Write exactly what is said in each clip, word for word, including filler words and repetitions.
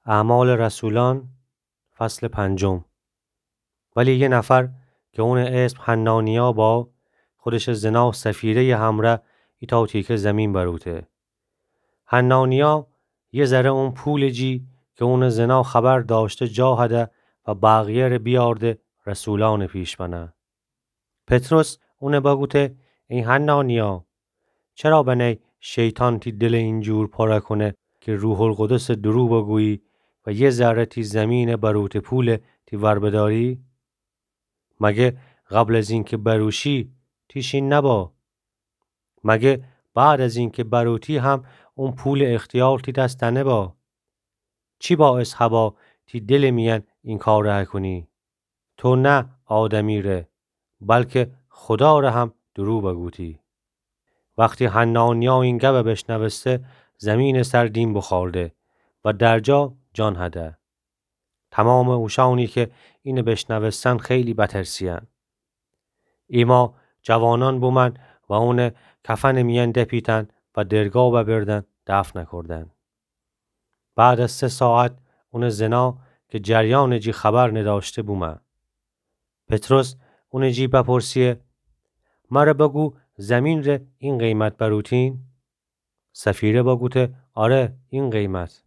اعمال رسولان، فصل پنجم. ولی یه نفر که اونٚ اسم حنانیا با، خودشٚ زنا سفیره‌یٚ همرأ ایتأ تیکه زیمین بروته. حنانیا یه ذره اون پولٚ جی که اونٚ زنا خبر دأشته جا هده و بقیه ره بیأرده رسولأنٚ پیش بنه. پطرس اونه بگوته: ای حنانیا، چرا بنی شیطان تی دلٚ اینجور پره کونه که روح‌القدسٚ دورو بگویی و یه ذره تی زیمینٚ بروته پوله تی ور بدأری؟ مگه قبل از اینکه بروشی تی شین نبا؟ مگه بعد از اینکه بروتی هم اون پولٚ اختیار تی دس نبا؟ چی باعث هبا تی دلٚ میأن این کاره کونی؟ تو نه آدمی ره، بلکه خودا ره هم دورو بگوتی. وختی حنانیا این گبه بشنوسته، زیمینٚ سر دیم بوخورده و در جا جان هده. تومامٚ اوشأنی که اینه بشنوستن خیلی بترسیأن. ایمأ جوانأن بومأن و اونه کفنٚ میأن دپیتن و درگا ببردن دفن کودن. بعد از سه ساعت اونٚ زنا که جریانٚ جی خبر ندأشته بومه. پطرس اونٚ جی بپرسیه: مره بگو زیمین ره این قیمت بروتین؟ سفیره بگوته: آره، این قیمت.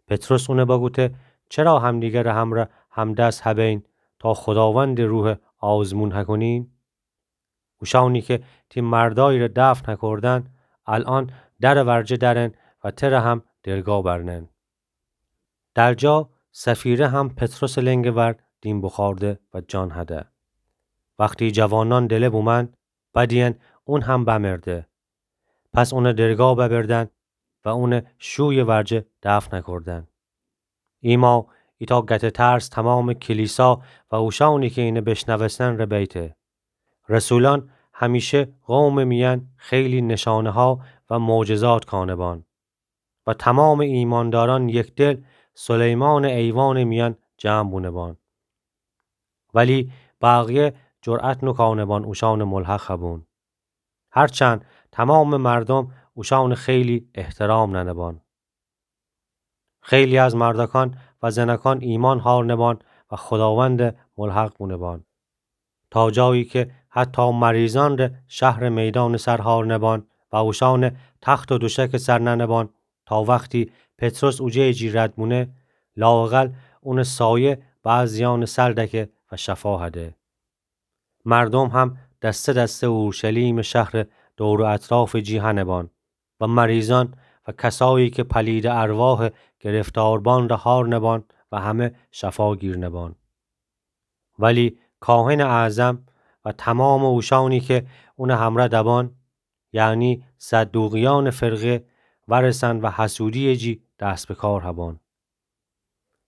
پطرس اونه بگوته: چرا همدیگرٚ همرأ همدس هبین تا خوداوندٚ روحه آزمون هکونین؟ اوشأنی که تی مردأیی ره دفن هکردن، الأن درٚ ورجه درن و تره هم درگا برنن. در جا سفیره هم پطرسٚ لنگٚ ور دیم بوخورده و جان هده. وختی جوانأن دله بومأن، بدیین اون هم بمرده. پس اونه درگا ببردن و اونه شویٚ ورجه دفن کودن. ایمأ ایتأ گتٚ ترس تومامٚ کلیسا و اوشأنی که اینه بشنوستن ره بیته. رسولأن همیشه قومٚ میأن خیلی نشانه‌ها و معجزات کانه بان و تومامٚ ایمأندارأن یکدل سلیمانٚ ایوانٚ میأن جمع بونه بان. ولی بقیه جرأت نوکانه بان اوشأنٚ ملحق هبون. هرچند تومامٚ مردوم اوشأنٚ خیلی احترام ننه بان. خیلی از مردکان و زنکان ایمأن هارنه بان و خوداوندٚ ملحق بونه بان. تا جایی که حتی مریضأن ره شهرٚ میدانٚ سر هارنه بان و اوشأنٚ تخت و دوشکٚ سر ننه بان، تا وختی پطرس اوجه جی رد بونه، لااقل اونٚ سایه بعضیأنٚ سر دکه و شفا هده. مردوم هم دسته دسته اورشلیمٚ شهرٚ دور و اطرافٚ جی هنه بان و مریضأن و کسایی که پلیدٚ ارواحٚ گرفتار بان ره هارنه بان و همه شفا گیرنه بان. ولی کاهنٚ اعظم و تومامٚ اوشأنی که اونٚ همره دبان، یعنی صدوقیأنٚ فرقه، ورسن و حسودیٚ جی دست به کار هبان.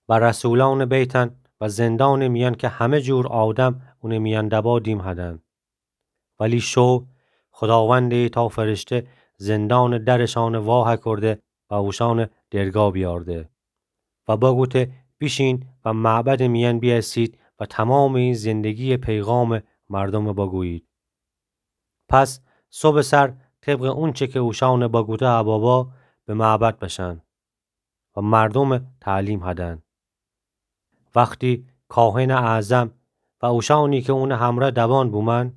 و رسولأنٚ بیتن و زندانٚ میأن که همه جور آدم اونٚ میأن دبا دیم هدن. ولی شو خوداوندٚ ایتأ فرشته زندانٚ درشأنٚ وا هکرده و اوشأنٚ درگا بیأرده و بگوته: بیشین و معبدٚ میأن بیأسید و تومامٚ این زندگیٚ پیغامٚ مردومٚ بگویید. پس صبحٚ سر طبقٚ اونچه که اوشأنٚ بگوته هبا با، به معبد بشن و مردومٚ تعلیم هدن. وختی کاهنٚ اعظم و اوشأنی که اونٚ همره دبان بومأن،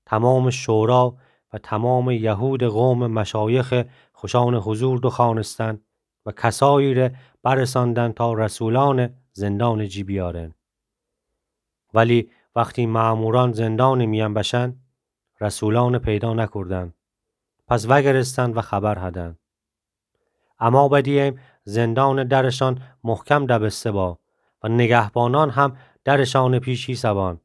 تومامٚ شورا و تومامٚ یهودٚ قومٚ مشایخٚ خوشأنٚ حضور دوخوأنستن و کسایی ره برسأندن تا رسولأنٚ زندانٚ جی بیأرن. ولی وختی مأمورأن زندانٚ میأن بشن، رسولأنٚ پیدا نکردن. پس وأگرستن و خبر هدن. اما بدییم زندانٚ درشأن محکم دبسته با و نگهبانأن هم درشأنٚ پیش ایسه‌بان.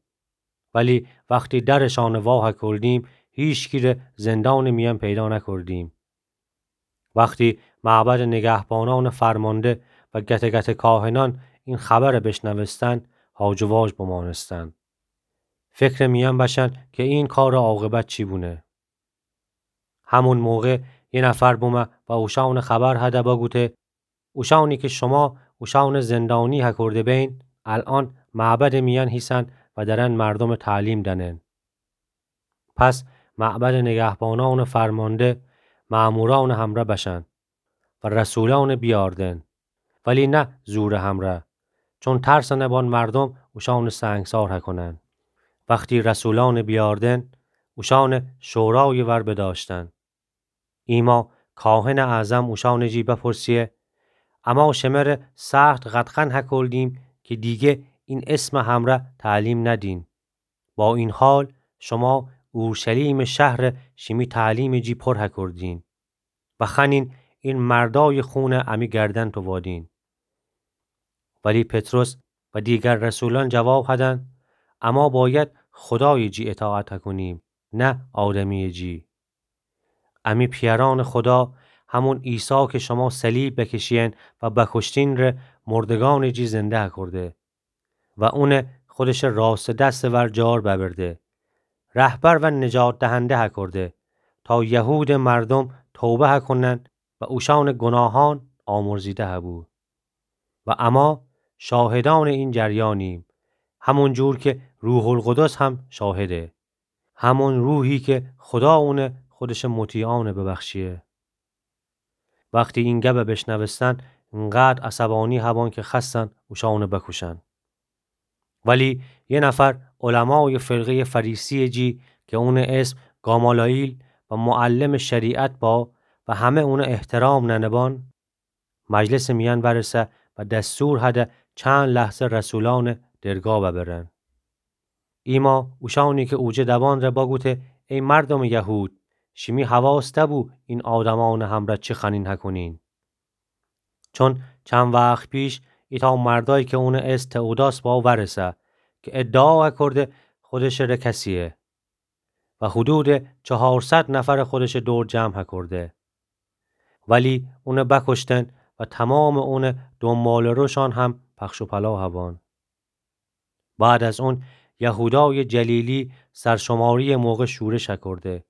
ولی وختی درشأنٚ وا هکردیم، هیچکی ره زندانٚ میأن پیدا نکردیم. وختی معبدٚ نگهبانأنٚ فرمانده و گته گته کاهنأن این خبر بشنوستن، هاج و واج بمانستن. فکرٚ میأن بشن که این کارٚ عاقبت چی بونه. همون موقع یه نفر بومه و اوشأنٚ خبر هده بگوته: اوشأنی که شما اوشأنٚ زندانی هکرده بین، الأن معبدٚ میأن هیسن و درن مردومٚ تعلیم دنن. پس معبدٚ نگهبانأنٚ فرمانده مأمورأنٚ همره بشن و رسولأنٚ بیأردن ولی نه زورٚ همرأ، چون ترسٚ نبان مردوم اوشانٚ سنگسار هکونن. وختی رسولأنٚ بیاردن، اوشانٚ شورایٚ ور بدأشتن. ایما کاهنٚ اعظم اوشانٚ جی بپرسیه: اما شمره سخت قدغن هکردیم کی دیگه این اسمٚ همرأ تعلیم ندین. با این حال شما اورشلیمٚ شهر شیمی تعلیمٚ جی پر هکردین و خوأنین این مردایٚ خونٚ امی گردن تووادین. ولی پطرس و دیگر رسولأن جواب هدن: اما باید خودایٚ جی اطاعت هکونیم، نه آدمیٚ جی. امی پیأرأنٚ خودا، همون عیسی کی شما صلیب بکشیین و بکشتین ره، مردگأنٚ جی زنده هکرده و اون خودشٚ راستٚ دستٚ ور جار ببرده، رهبر و نجات دهنده هکرده، تا یهودٚ مردوم توبه هکونن و اوشانٚ گناهأن آمرزیده هبو. و اما شاهدأنٚ این جریانیم، همون جور کی روح‌القدس هم شاهده. همون روحی کی خودا اون خودشٚ مطیعأن ببخشیه. وختی این گب بشنوستن، انقدر عصبأنی هبان کی خوأستن اوشأن بکوشن. ولی یه نفر علمایٚ فرقه‌یٚ فریسیٚ جی کی اونٚ اسم گامالئیل و معلمٚ شریعت با و همه اون احترام ننبان، مجلسٚ میأن ورسه و دستور هده چند لحظه رسولأن درگاه ببرن. ایما اوشأنی کی اوجه دبان ره بگوته: ای مردومٚ یهود، شیمی حواس دبو این آدمأنٚ همرأ چی خوأنین هکونین. چون چند وخت پیش ایتأ مردأیی کی اونٚ اسم تئوداس با ورسه کی ادعا هکرده خودشٚ ره کسیه و حدودٚ چهارصد نفر خودشٚ دور جمع هکرده. ولی اون بکشتن و تمامٚ اونٚ دنباله‌روشأن هم پخش و پلا هبان. بعد از اون یهودایٚ جلیلی سرشماریٚ موقع شورش هکرده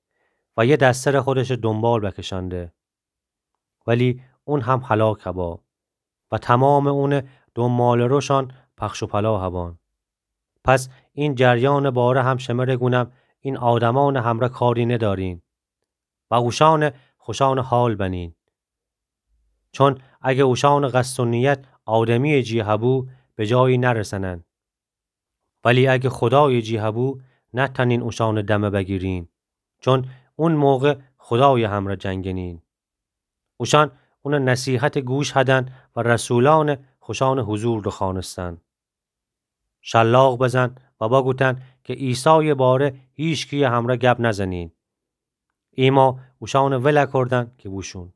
و یه دسته ره خودشٚ دنبال بکشأنده. ولی اون هم هلاک هبا و تمامٚ اونٚ دنباله‌روشأن پخش و پلا هبان. پس این جریانٚ باره هم شمره گونم، این آدمأنٚ همرأ کاری ندارین و اوشأن خوشأنٚ حال بنین. چون اگه اوشأنٚ قصد و نیت آدمیٚ جی هبو، به جایی نرسنن. ولی اگه خودایٚ جی هبو، نتأنین اوشأنٚ دمه بگیرین، چون اون موقع خودایٚ همرأ جنگنین. اوشأن اونٚ نصیحت گوش هدن و رسولأن خوشأنٚ حضور دوخوأنستن. شلاق بزن و بگوتن کی عیسایٚ باره هیچکی‌یٚ همرأ گب نزنین. ایما اوشأن ول کردن کی بوشون.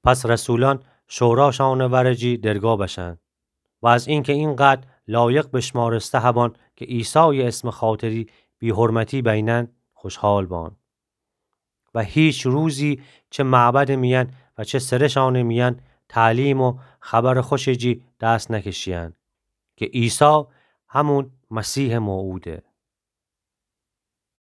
پس رسولأن شوراشأنٚ ورٚ جی درگاه بشن و از اینکه اینقدر لایق بشمارسته هبان کی عیسایٚ اسمٚ خاطری بی‌حرمتی بینن، خوشحال بان. و هیچ روزی چه معبدٚ میأن و چه سرشأنٚ میأن تعلیم و خبرٚ خوشٚ جی دست نکشیین کی عیسی همون مسیحٚ موعوده.